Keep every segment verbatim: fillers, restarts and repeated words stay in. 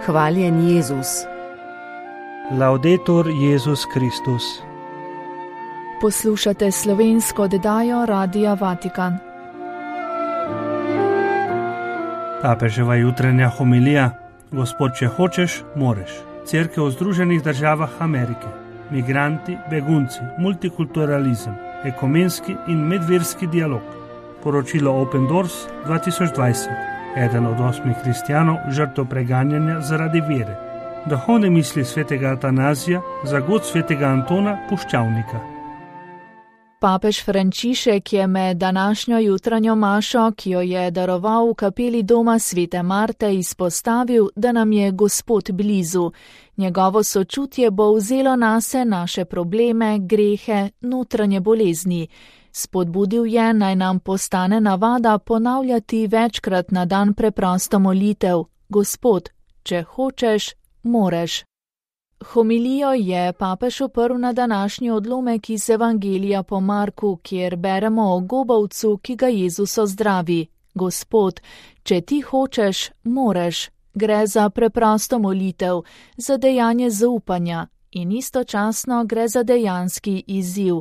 Hvaljen Jezus. Laudetur Jezus Kristus. Poslušate slovensko oddajo Radia Vatikan. Papeževa jutranja homilija: Gospod, če hočeš, moreš. Cerkev v Združenih državah Amerike. Migranti, begunci, multikulturalizem, ekumenski in medverski dialog. Poročilo Open Doors dva tisoč dvajset. Eden od osmih kristjanov žrtev preganjanja zaradi vere. Duhovne misli svetega Atanazija za god svetega Antona Puščavnika. Papež Frančišek je med današnjo jutranjo mašo, ki jo je daroval v kapeli doma svete Marte, izpostavil, da nam je Gospod blizu. Njegovo sočutje bo vzelo nase naše probleme, grehe, notranje bolezni. Spodbudil je, naj nam postane navada ponavljati večkrat na dan preprosto molitev: Gospod, če hočeš, moreš. Homilijo je papež oprl na današnji odlomek iz Evangelija po Marku, kjer beremo o gobavcu, ki ga Jezus ozdravi. Gospod, če ti hočeš, moreš. Gre za preprosto molitev, za dejanje zaupanja in istočasno gre za dejanski izziv.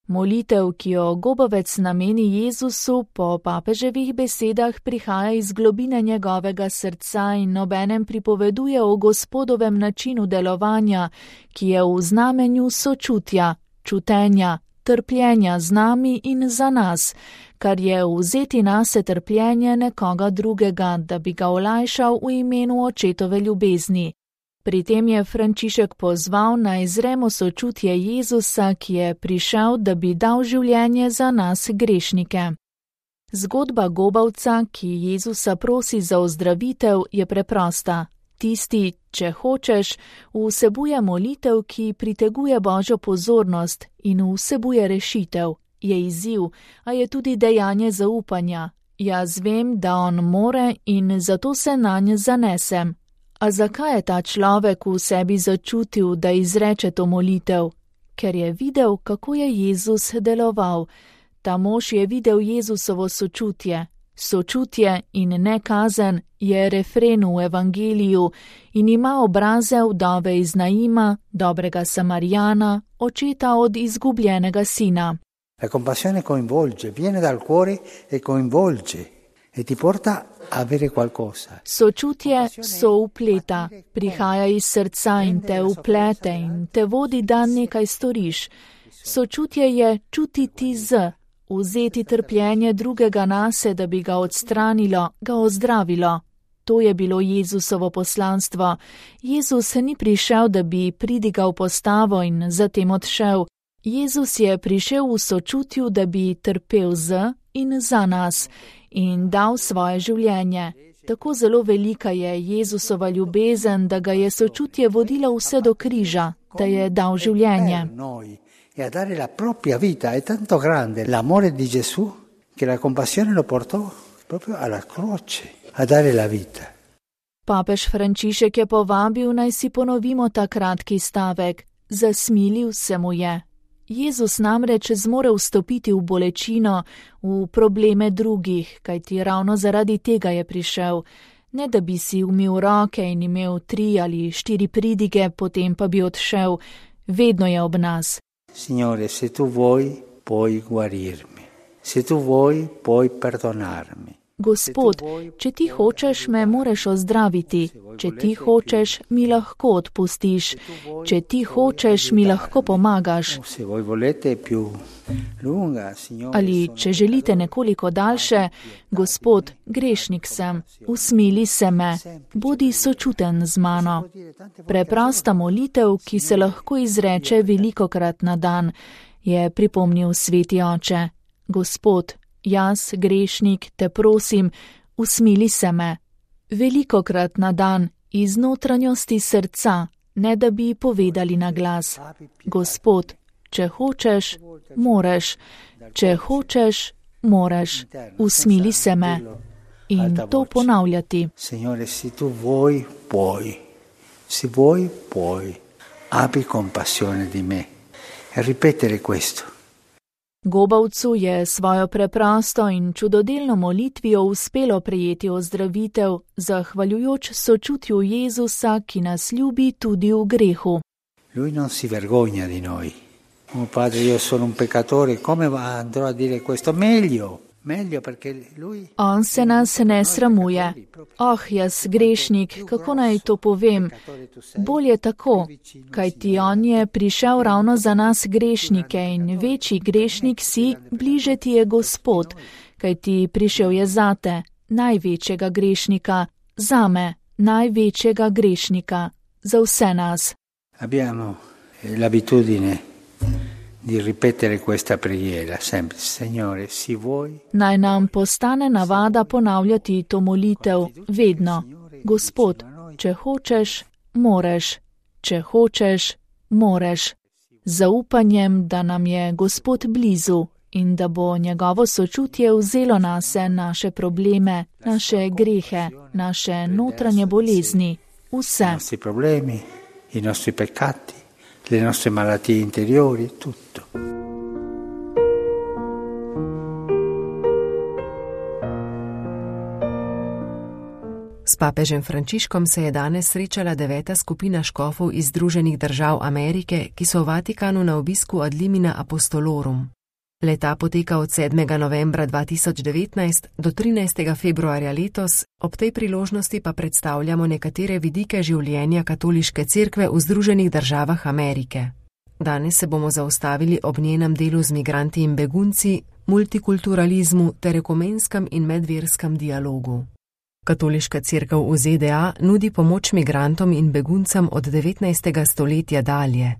Molitev, ki jo gobavec nameni Jezusu, po papeževih besedah prihaja iz globine njegovega srca in obenem pripoveduje o Gospodovem načinu delovanja, ki je v znamenju sočutja, čutenja, trpljenja z nami in za nas, kar je vzeti nase trpljenje nekoga drugega, da bi ga olajšal v imenu očetove ljubezni. Pri tem je Frančišek pozval, naj zremo sočutje Jezusa, ki je prišel, da bi dal življenje za nas grešnike. Zgodba gobavca, ki Jezusa prosi za ozdravitev, je preprosta. Tisti, če hočeš, vsebuje molitev, ki priteguje Božjo pozornost in vsebuje rešitev. Je izziv, a je tudi dejanje zaupanja. Jaz vem, da on more in zato se nanj zanesem. A zakaj je ta človek v sebi začutil, da izreče to molitev? Ker je videl, kako je Jezus deloval. Ta mož je videl Jezusovo sočutje. Sočutje in ne kazen je refren v Evangeliju in ima obraze vdove iz Naima, dobrega Samarijana, očeta od izgubljenega sina. La compassione coinvolge, viene dal cuore e coinvolge e ti porta a avere qualcosa. Sočutje so upleta, prihaja iz srca in te uplete in te vodi, da nekaj storiš. Sočutje je čutiti z, vzeti trpljenje drugega nase, da bi ga odstranilo, ga ozdravilo. To je bilo Jezusovo poslanstvo. Jezus ni prišel, da bi pridigal postavo in zatem odšel. Jezus je prišel v sočutju, da bi trpel z in za nas in dal svoje življenje. Tako zelo velika je Jezusova ljubezen, da ga je sočutje vodilo vse do križa, da je dal življenje. E a dare la propria vita è tanto grande l'amore di Gesù che la compassione lo portò proprio alla croce a dare la vita. Papež Frančišek je povabil, naj si ponovimo ta kratki stavek. Zasmilil se mu je. Jezus namreč zmore vstopiti v bolečino, v probleme drugih, kajti ravno zaradi tega je prišel. Ne da bi si umil roke in imel tri ali štiri pridige, potem pa bi odšel. Vedno je ob nas. Signore, se tu vuoi, puoi guarirmi. Se tu vuoi, puoi perdonarmi. Gospod, če ti hočeš, me moreš ozdraviti. Če ti hočeš, mi lahko odpustiš. Če ti hočeš, mi lahko pomagaš. Ali če želite nekoliko daljše, Gospod, grešnik sem, usmili se me, bodi sočuten z mano. Preprosta molitev, ki se lahko izreče velikokrat na dan, je pripomnil sveti oče. Gospod, jaz, grešnik, te prosim, usmili se me. Velikokrat na dan, iz notranjosti srca, ne da bi povedali na glas. Gospod, če hočeš, moreš. Če hočeš, moreš. Usmili se me. In to ponavljati. Signore, se tu vuoi, puoi. Se vuoi, puoi. Abbi compassione di me. E ripetere questo. Gobavcu je svojo preprosto in čudodelno molitvijo uspelo prejeti ozdravitev, zahvaljujoč sočutju Jezusa, ki nas ljubi tudi v grehu. Lui non si vergogna di noi. Oh padre, io sono un peccatore, come andrò a dire questo? Meglio. On se nas ne sramuje. Oh, jaz grešnik, kako naj to povem? Bolje tako, kajti on je prišel ravno za nas grešnike in večji grešnik si, bliže ti je Gospod, kajti prišel je zate, največjega grešnika, zame, največjega grešnika, za vse nas. Abbiamo l'abitudine di ripetere questa preghiera sempre. Signore, si vuoi? Naj nam postane navada ponavljati to molitev vedno. Gospod, če hočeš, moreš. Če hočeš, moreš. Zaupanjem, da nam je Gospod blizu in da bo njegovo sočutje vzelo nase naše probleme, naše grehe, naše notranje bolezni, vse. I nostri problemi, i nostri peccati, le nostre malattie interiori, tutto. S papežem Frančiškom se je danes srečala deveta skupina škofov iz Združenih držav Amerike, ki so v Vatikanu na obisku ad limina apostolorum. Leta poteka od sedmega novembra dva tisoč devetnajst do trinajstega februarja letos, ob tej priložnosti pa predstavljamo nekatere vidike življenja katoliške cerkve v Združenih državah Amerike. Danes se bomo zaustavili ob njenem delu z migranti in begunci, multikulturalizmu ter ekumenskem in medverskem dialogu. Katoliška cerkev v Z D A nudi pomoč migrantom in beguncem od devetnajstega stoletja dalje.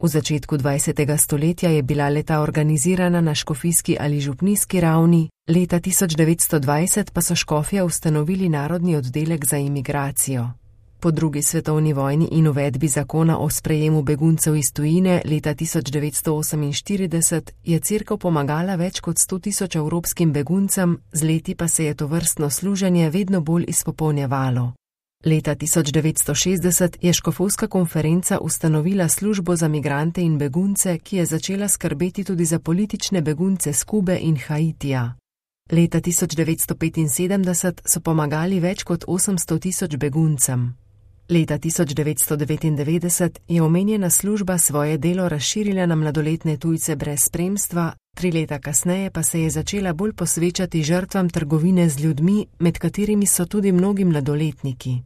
V začetku dvajsetega stoletja je bila leta organizirana na škofijski ali župnijski ravni, leta tisoč devetsto dvajset pa so škofje ustanovili Narodni oddelek za imigracijo. Po drugi svetovni vojni in uvedbi zakona o sprejemu beguncev iz tujine leta tisoč devetsto oseminštirideset je cerkev pomagala več kot sto tisoč evropskim beguncem, z leti pa se je tovrstno služenje vedno bolj izpopolnjevalo. Leta tisoč devetsto šestdeset je škofovska konferenca ustanovila službo za migrante in begunce, ki je začela skrbeti tudi za politične begunce s Kube in Haitija. Leta tisoč devetsto petinsedemdeset so pomagali več kot osemsto tisoč beguncem. Leta tisoč devetsto devetindevetdeset je omenjena služba svoje delo razširila na mladoletne tujce brez spremstva, tri leta kasneje pa se je začela bolj posvečati žrtvam trgovine z ljudmi, med katerimi so tudi mnogi mladoletniki.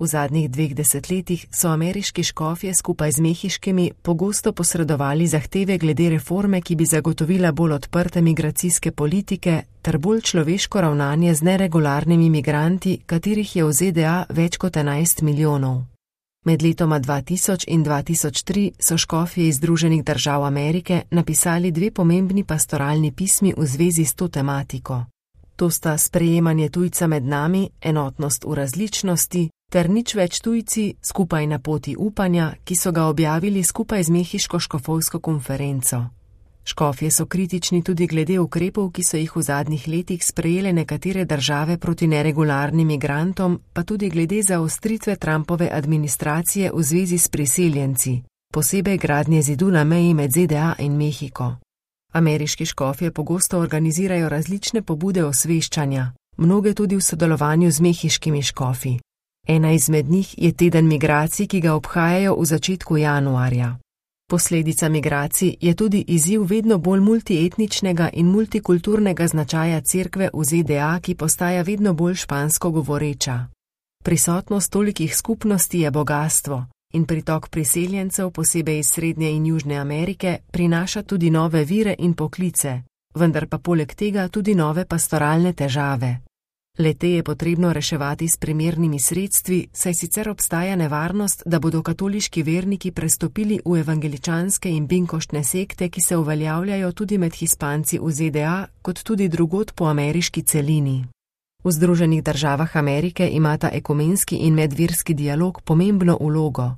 V zadnjih dveh desetletjih so ameriški škofje skupaj z mehiškimi pogosto posredovali zahteve glede reforme, ki bi zagotovila bolj odprte migracijske politike ter bolj človeško ravnanje z neregularnimi migranti, katerih je v Z D A več kot enajst milijonov. Med letoma dva tisoč in dva tisoč tri so škofje iz Združenih držav Amerike napisali dve pomembni pastoralni pismi v zvezi s to tematiko. To sta sprejemanje tujca med nami, enotnost v različnosti, ter nič več tujci skupaj na poti upanja, ki so ga objavili skupaj z mehiško škofovsko konferenco. Škofje so kritični tudi glede ukrepov, ki so jih v zadnjih letih sprejele nekatere države proti neregularnim migrantom, pa tudi glede zaostritve Trumpove administracije v zvezi s priseljenci, posebej gradnje zidu na meji med Z D A in Mehiko. Ameriški škofje pogosto organizirajo različne pobude osveščanja, mnoge tudi v sodelovanju z mehiškimi škofi. Ena izmed njih je teden migracij, ki ga obhajajo v začetku januarja. Posledica migracij je tudi izziv vedno bolj multietničnega in multikulturnega značaja cerkve v Z D A, ki postaja vedno bolj špansko govoreča. Prisotnost tolikih skupnosti je bogastvo in pritok priseljencev, posebej iz Srednje in Južne Amerike, prinaša tudi nove vire in poklice, vendar pa poleg tega tudi nove pastoralne težave. Le-te je potrebno reševati s primernimi sredstvi, saj sicer obstaja nevarnost, da bodo katoliški verniki prestopili v evangeličanske in binkoštne sekte, ki se uveljavljajo tudi med Hispanci v Z D A, kot tudi drugod po ameriški celini. V Združenih državah Amerike imata ekumenski in medverski dialog pomembno vlogo.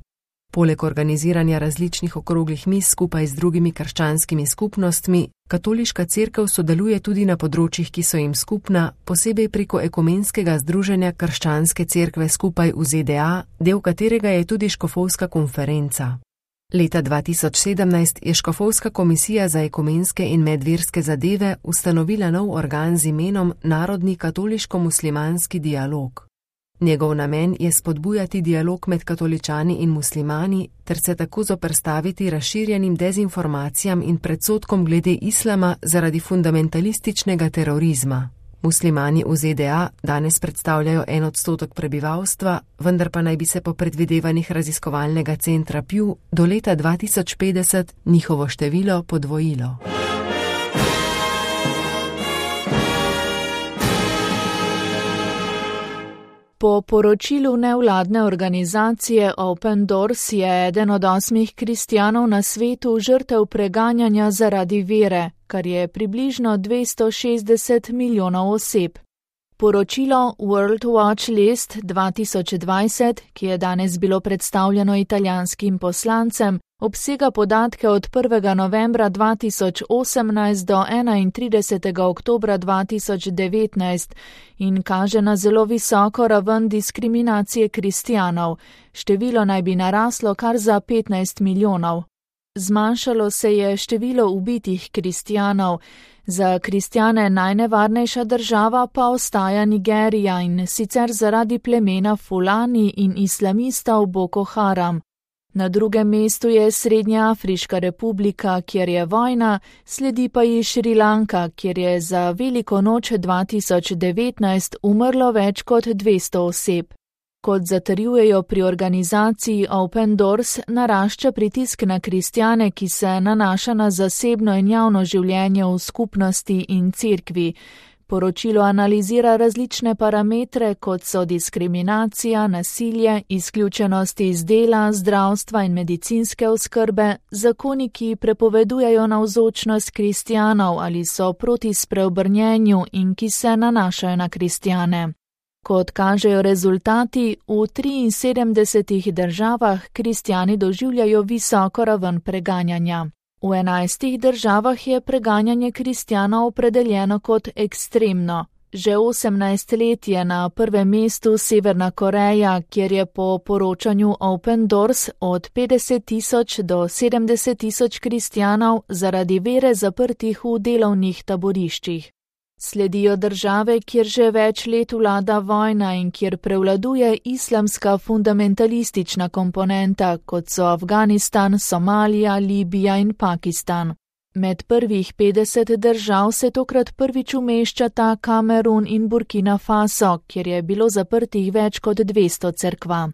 Poleg organiziranja različnih okroglih miz skupaj z drugimi krščanskimi skupnostmi, katoliška cerkev sodeluje tudi na področjih, ki so jim skupna, posebej preko ekumenskega združenja krščanske cerkve skupaj v Z D A, del katerega je tudi škofovska konferenca. Leta dva tisoč sedemnajst je Škofovska komisija za ekumenske in medverske zadeve ustanovila nov organ z imenom Narodni katoliško-muslimanski dialog. Njegov namen je spodbujati dialog med katoličani in muslimani ter se tako zoperstaviti razširjenim dezinformacijam in predsodkom glede islama zaradi fundamentalističnega terorizma. Muslimani v Z D A danes predstavljajo en odstotek prebivalstva, vendar pa naj bi se po predvidevanjih raziskovalnega centra Pew do leta dva tisoč petdeset njihovo število podvojilo. Po poročilu nevladne organizacije Open Doors je eden od osmih kristjanov na svetu žrtev preganjanja zaradi vere, kar je približno dvesto šestdeset milijonov oseb. Poročilo World Watch List dva tisoč dvajset, ki je danes bilo predstavljeno italijanskim poslancem, obsega podatke od prvega novembra dva tisoč osemnajst do enaintridesetega oktobra dva tisoč devetnajst in kaže na zelo visoko raven diskriminacije kristjanov. Število naj bi naraslo kar za petnajst milijonov. Zmanjšalo se je število ubitih kristjanov. Za kristjane najnevarnejša država pa ostaja Nigerija in sicer zaradi plemena Fulani in islamistov Boko Haram. Na drugem mestu je Srednja Afriška republika, kjer je vojna, sledi pa ji Šrilanka, kjer je za Veliko noč dva tisoč devetnajst umrlo več kot dvesto oseb. Kot zatrjujejo pri organizaciji Open Doors, narašča pritisk na kristjane, ki se nanaša na zasebno in javno življenje v skupnosti in cerkvi. Poročilo analizira različne parametre, kot so diskriminacija, nasilje, izključenost iz dela, zdravstva in medicinske oskrbe, zakoni, ki prepovedujejo navzočnost kristjanov ali so proti spreobrnjenju in ki se nanašajo na kristjane. Kot kažejo rezultati, v triinsedemdesetih državah kristjani doživljajo visoko raven preganjanja. V enajstih državah je preganjanje kristjanov opredeljeno kot ekstremno. Že osemnajst let je na prvem mestu Severna Koreja, kjer je po poročanju Open Doors od petdeset tisoč do sedemdeset tisoč kristjanov zaradi vere zaprtih v delovnih taboriščih. Sledijo države, kjer že več let vlada vojna in kjer prevladuje islamska fundamentalistična komponenta, kot so Afganistan, Somalija, Libija in Pakistan. Med prvih petdeset držav se tokrat prvič umeščata Kamerun in Burkina Faso, kjer je bilo zaprtih več kot dvesto cerkva.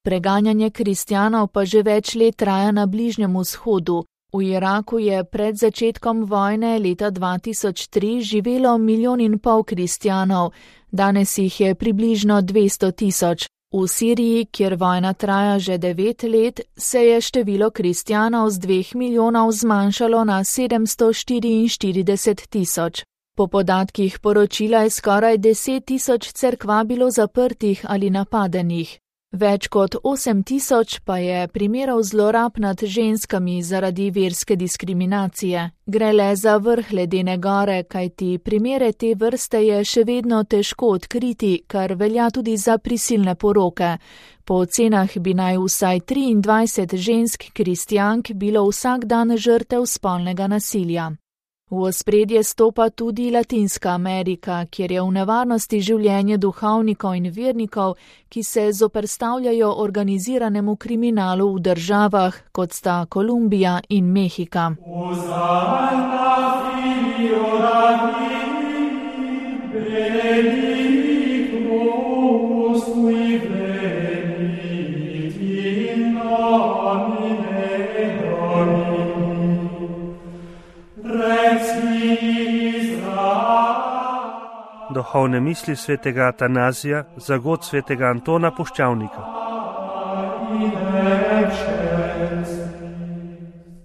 Preganjanje kristjanov pa že več let traja na Bližnjem vzhodu. V Iraku je pred začetkom vojne leta dva tisoč tri živelo milijon in pol kristjanov, danes jih je približno dvesto tisoč. V Siriji, kjer vojna traja že devet let, se je število kristjanov z dveh milijonov zmanjšalo na sedemsto štiriinštirideset tisoč. Po podatkih poročila je skoraj deset tisoč cerkva bilo zaprtih ali napadenih. Več kot osem tisoč pa je primerov zlorab nad ženskami zaradi verske diskriminacije. Gre le za vrh ledene gore, kajti primere te vrste je še vedno težko odkriti, kar velja tudi za prisilne poroke. Po ocenah bi naj vsaj triindvajset žensk kristjank bilo vsak dan žrtev spolnega nasilja. V ospredje stopa tudi Latinska Amerika, kjer je v nevarnosti življenje duhovnikov in vernikov, ki se zoperstavljajo organiziranemu kriminalu v državah, kot sta Kolumbija in Mehika. Duhovne misli svetega Atanazija za god svetega Antona Puščavnika.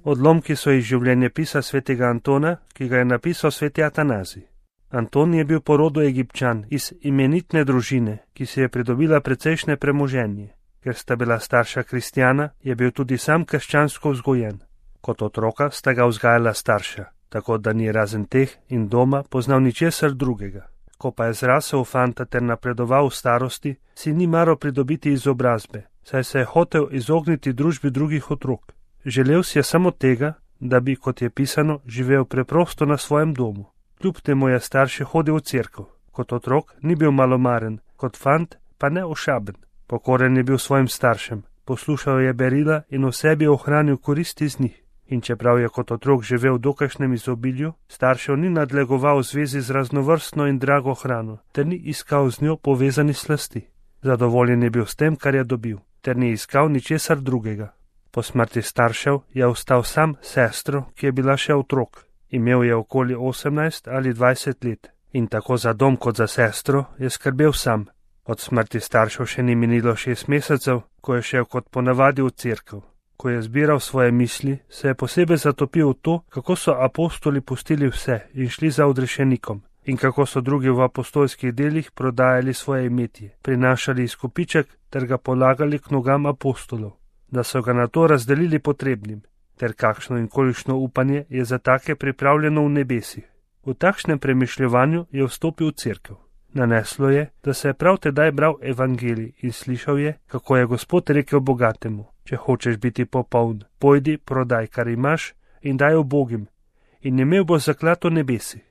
Odlomki so iz življenjepisa svetega Antona, ki ga je napisal sveti Atanazij. Anton je bil po rodu Egipčan iz imenitne družine, ki si je pridobila precejšnje premoženje. Ker sta bila starša kristjana, je bil tudi sam krščansko vzgojen. Kot otroka sta ga vzgajala starša, tako da ni razen teh in doma poznal ničesar drugega. Ko pa je zrasel v fanta ter napredoval v starosti, si ni maral pridobiti izobrazbe, saj se je hotel izogniti družbi drugih otrok. Želel si je samo tega, da bi, kot je pisano, živel preprosto na svojem domu. Kljub temu je starše hodil v cerkev. Kot otrok ni bil malomaren, kot fant pa ne ošaben. Pokoren je bil svojim staršem, poslušal je berila in v sebi ohranil koristi z njih. In čeprav je kot otrok živel v dokajšnjem izobilju, staršev ni nadlegoval v zvezi z raznovrstno in drago hrano, ter ni iskal z njo povezani slasti. Zadovoljen je bil s tem, kar je dobil, ter ni iskal ničesar drugega. Po smrti staršev je ostal sam s sestro, ki je bila še otrok. Imel je okoli osemnajst ali dvajset let in tako za dom kot za sestro je skrbel sam. Od smrti staršev še ni minilo šest mesecev, ko je šel kot ponavadi v cerkev. Ko je zbiral svoje misli, se je posebej zatopil v to, kako so apostoli pustili vse in šli za odrešenikom in kako so drugi v apostolskih delih prodajali svoje imetje, prinašali izkupiček ter ga polagali k nogam apostolov, da so ga na to razdelili potrebnim, ter kakšno in kolikšno upanje je za take pripravljeno v nebesih. V takšnem premišljevanju je vstopil v cerkev. Naneslo je, da se je prav tedaj bral evangelij in slišal je, kako je Gospod rekel bogatemu: če hočeš biti popoln, pojdi, prodaj, kar imaš, in daj ubogim, in imel boš zaklad v nebesih.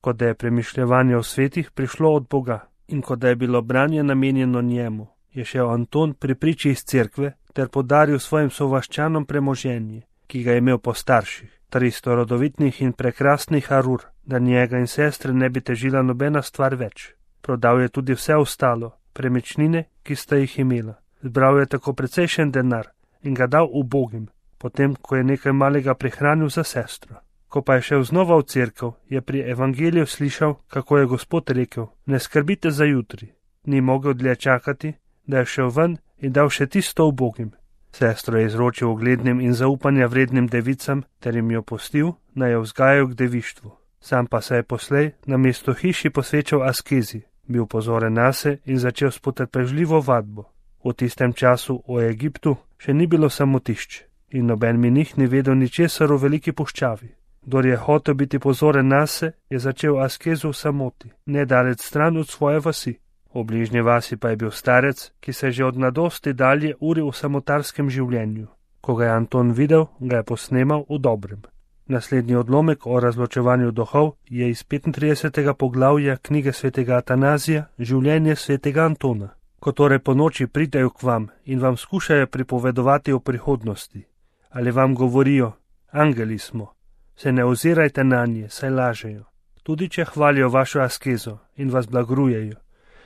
Kot da je premišljevanje o svetih prišlo od Boga in kot da je bilo branje namenjeno njemu, je šel Anton pri priči iz cerkve ter podaril svojim sovaščanom premoženje, ki ga je imel po starših, tristo rodovitnih in prekrasnih arur, da njega in sestre ne bi težila nobena stvar več. Prodal je tudi vse ostalo, premičnine, ki sta jih imela. Zbral je tako precejšen denar in ga dal ubogim, potem ko je nekaj malega prihranil za sestro. Ko pa je šel znova v cerkev, je pri evangeliju slišal, kako je Gospod rekel: ne skrbite za jutri. Ni mogel dlje čakati, da je šel ven in dal še tisto ubogim. Sestro je izročil uglednim in zaupanja vrednim devicam ter jim jo pustil, naj jo vzgajajo k devištvu. Sam pa se je poslej na mesto hiši posvečal askezi, bil pozoren nase in začel s potrpežljivo vadbo. V tistem času v Egiptu še ni bilo samotišč in noben menih ni vedel ničesar o veliki puščavi. Kdor je hotel biti pozoren nase, je začel askezo v samoti, nedalec stran od svoje vasi. V bližnji vasi pa je bil starec, ki se že od mladosti dalje uril v samotarskem življenju. Ko ga je Anton videl, ga je posnemal v dobrem. Naslednji odlomek o razločevanju duhov je iz petintridesetega poglavja knjige svetega Atanazija Življenje svetega Antona. Ko torej po noči pridejo k vam in vam skušajo pripovedovati o prihodnosti, ali vam govorijo: angeli smo, se ne ozirajte nanje, saj lažejo. Tudi če hvalijo vašo askezo in vas blagrujejo,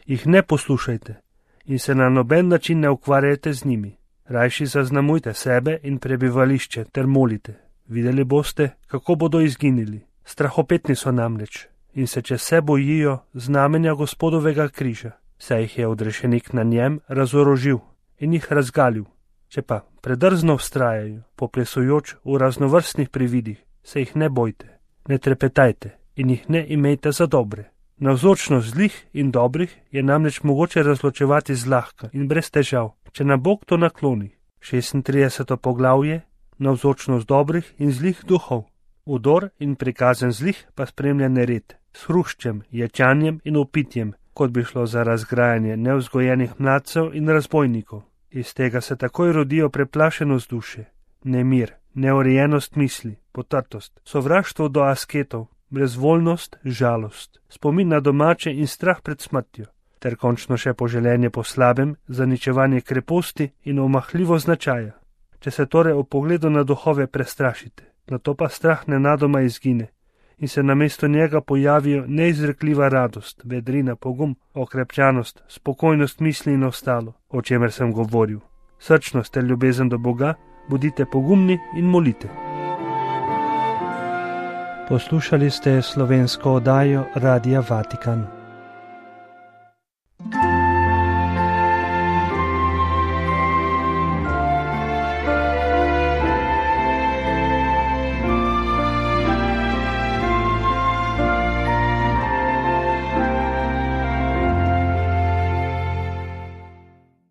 jih ne poslušajte in se na noben način ne ukvarjajte z njimi. Rajši zaznamujte sebe in prebivališče ter molite. Videli boste, kako bodo izginili. Strahopetni so namreč in se čez se bojijo znamenja Gospodovega križa, saj jih je odrešenik na njem razorožil in jih razgalil. Če pa predrzno vztrajajo, poplesujoč v raznovrstnih prividih, se jih ne bojte, ne trepetajte in jih ne imejte za dobre. Navzočnost zlih in dobrih je namreč mogoče razločevati zlahka in brez težav, če nam Bog to nakloni. šestintrideseto poglavje, navzočnost dobrih in zlih duhov. Udor in prikazen zlih pa spremlja nered, s hruščem, ječanjem in opitjem, kot bi šlo za razgrajanje nevzgojenih mladcev in razbojnikov. Iz tega se takoj rodijo preplašenost duše, nemir, neurejenost misli, potrtost, sovraštvo do asketov, brezvoljnost, žalost, spomin na domače in strah pred smrtjo, ter končno še poželenje po slabem, zaničevanje kreposti in omahljivo značaja. Če se torej ob pogledu na duhove prestrašite, nato pa strah nenadoma izgine in se namesto njega pojavijo neizrekljiva radost, vedrina, pogum, okrepčanost, spokojnost misli in ostalo, o čemer sem govoril. Srčnost ter ljubezen do Boga, bodite pogumni in molite. Poslušali ste slovensko oddajo Radia Vatikan.